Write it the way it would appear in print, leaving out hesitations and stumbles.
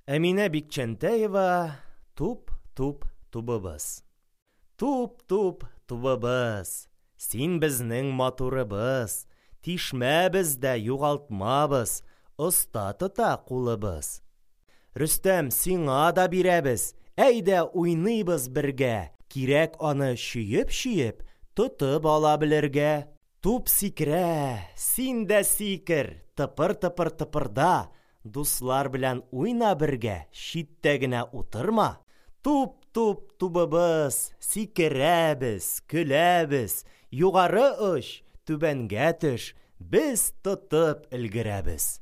Әминә Бикчәнтәева Туп, туп, тубыбыз. Туп, туп, тубыбыз, Син безнең матурыбыз, Тишмәбез дә, югалтмабыз, Оста тота кулыбыз. Рөстәм, сиңа да бирәбез, Әйдә, уйныйбыз бергә, Кирәк аны чөеп-чөеп Тотып ала белергә. Туп сикерә, син дә сикер, Тыпыр-тыпыр тыпырда, Дуслар белән уйна бергә, Читтә генә утырма. Туп, туп, тубыбыз, Сикерәбез, көләбез, Югары оч, түбәнгә төш, Без тотып өлгерәбез.